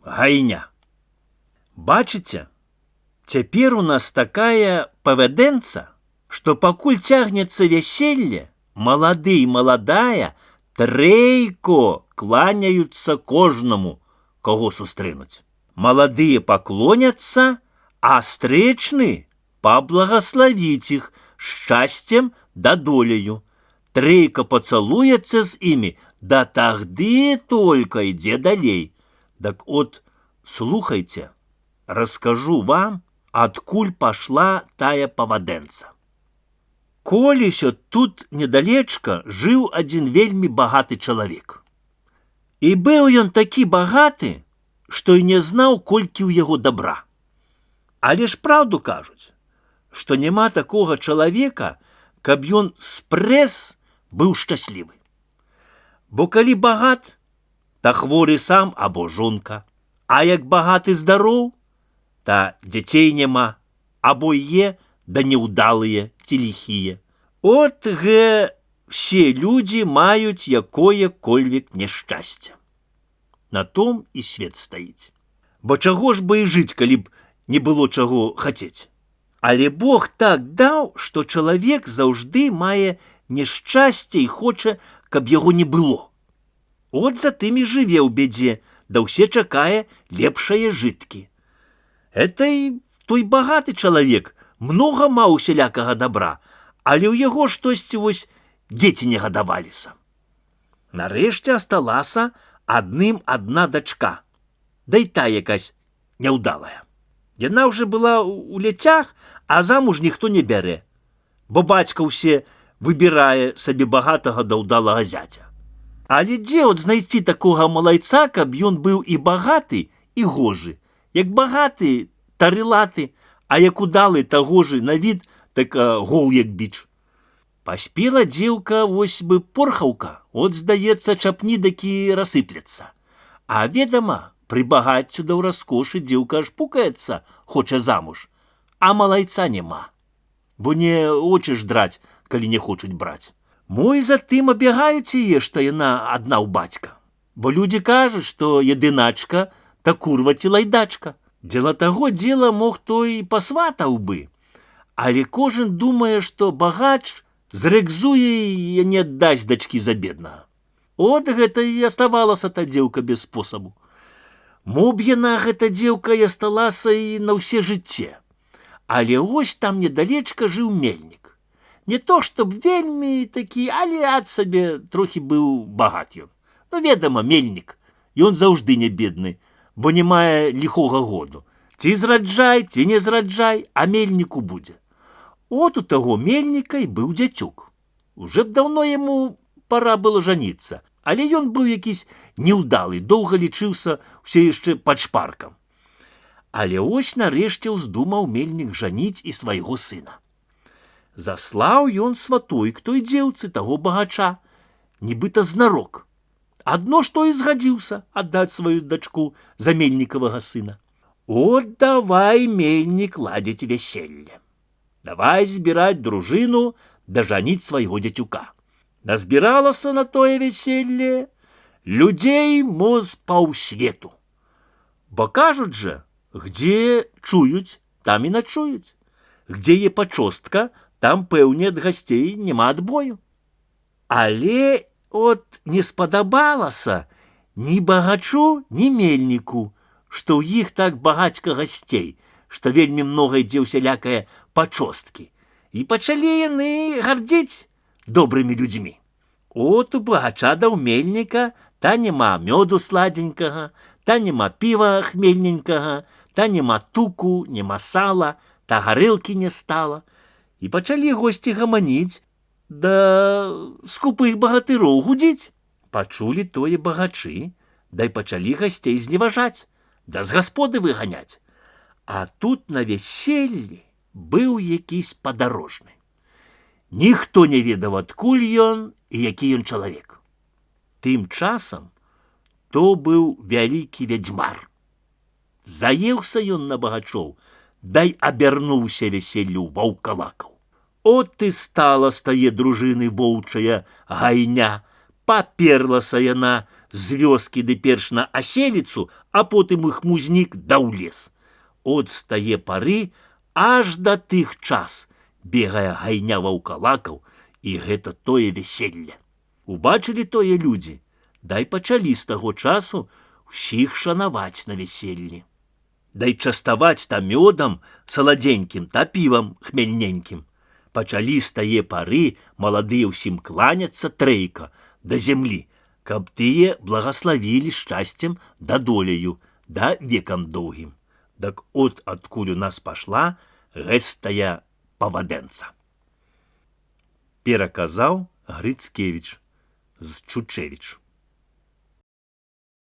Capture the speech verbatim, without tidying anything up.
гайня. Бачыце, цяпер у нас такая павядэнца, што пакуль цягнецца вяселле, малады і маладая трэйко кланяюцца кожнаму, каго сустрэнуць. Маладыя паклоняцца, а стрэчны паблагаславіць іх шчасцем да доляю. Трэйка пацалуецца з імі, да тагды только ідзе далей. Так от, слухайце, раскажу вам, адкуль пашла тая павадэнца. Колісьо тут недалечка жыў адзін вельмі багаты чалавек. І быў ён такі багаты, што і не знаў, колькі ў яго добра. Але ж праўду кажуць, што няма такога чалавека, каб ён спрэс быў шчаслівы. Бо калі багат, та хворы сам або жонка, а як багаты здароў, та дзяцей няма, або є, да неўдалыя ці ліхія. От гэ все людзі маюць якое-кольвек няшчасце. На том і свет стаіць. Бо чаго ж бы і жыць, калі б не было чаго хацець. Але Бог так даў, што чалавек заўжды мае няшчасце і хоча, каб яго не было. От затым і жыве ў бядзе, да ўсе чакае лепшае жыткі. Это і той багаты чалавек многа маў усялякага добра, але ў яго штосьці вось дзеці не гадаваліся. Нарэшце асталася адным адна дачка, да і та якась няўдалая. Яна ўжо была у ляцях, а замуж ніхто не бярэ, бо бацька ўсе выбірае сабе багатага да ўдалага зяця. Але дзе от знайсці такога малайца, каб ён быў і багаты, і гожы. Як багаты, тарылаты, а як удалы, таго ж на від, так гол як біч. Паспела дзеўка вось бы порхаўка, от, здаецца, чапні такі рассыплецца. А ведама, пры багаццю да ў раскошы дзеўка аж пукаецца, хоча замуж, а малайца няма. Бо не очы ж драць, калі не хочуць браць. Мо і затым абягаюць яе, што яна адна ў бацька. Бо людзі кажуць, што едыначка, та курва ці лайдачка. Дзеля таго дзела мог той пасватаў бы. Але кожен думае, што багач зрэкзуе і не аддасць дачкі за беднага. От гэта і аставалася та дзеўка без спосабу. Мо б яна, гэта дзеўка, і асталася і на ўсе жыцце. Але ось там недалечка жыў мельнік. Не то, чтоб вельмі такі, але ад сабе трохі быў багат ён. Ну, ведама, мельнік, ён заўжды не бедны, бо не мае ліхога году. Ці зраджай, ці не зраджай, а мельніку будзе. От у таго мельніка і быў дзяцюк. Уже б даўно яму пора было жаніцца, але ён быў якісь неўдалы, доўга лічыўся ўсе яшчэ пад шпаркам. Але ось нарэшце ўздумаў мельнік жаніць і свайго сына. Заслаў ён сватой к той дзеўцы таго багача, нібыта знарок. Адно што і згадзіўся аддаць сваю дачку за мельнікавага сына. От давай, мельнік, ладзіць вяселле. Давай збіраць дружыну да жаніць свайго дзяцюка. Назбіралася на тое вяселле людзей мо з паўсвету. Бо кажуць жа, где чуюць, там і начуюць. Где є пачостка, там, пэўне, ад гасцей няма адбою. Але от не спадабалася ні багачу, ні мельніку, што ў іх так багацька гасцей, што вельмі многа ідзе ўсялякае пачосткі. І пачалі яны гардзіць добрымі людзьмі. От у багача да ў мельніка та няма мёду сладзенькага, та няма піва хмельненькага, та няма туку, няма сала, та гарэлкі не стала. І пачалі госці гаманіць, да скупых багатыроў гудзіць. Пачулі тое багачы, да і пачалі гасцей зневажаць, да з гасподы выганяць. А тут на вяселлі быў якісь падарожны. Ніхто не ведаў, адкуль ён і які ён чалавек. Тым часам то быў вялікі вядзьмар. Заеўся ён на багачоў, дай абярнуўся вяселлю ваўкалакаў. От і стала з тае дружыны воўчая гайня, паперлася яна з вёскі ды перш на аселіцу, а потым іх музнік да ў лес. От з тае пары аж да тых час бегае гайня ваўкалакаў, і гэта тое вяселле. Убачылі тое людзі, дай пачалі з таго часу ўсіх шанаваць на вяселлі. Дай частаваць та мёдам саладзенькім та півам хмельненькім. Пачалі з тае пары маладыя ўсім кланяцца трэйка да зямлі, каб тыя благаславілі шчасцем да доляю, да векам доўгім. Дак от адкуль у нас пашла гэстая павадэнца. Пераказаў Грыцкевіч з Чучевіч.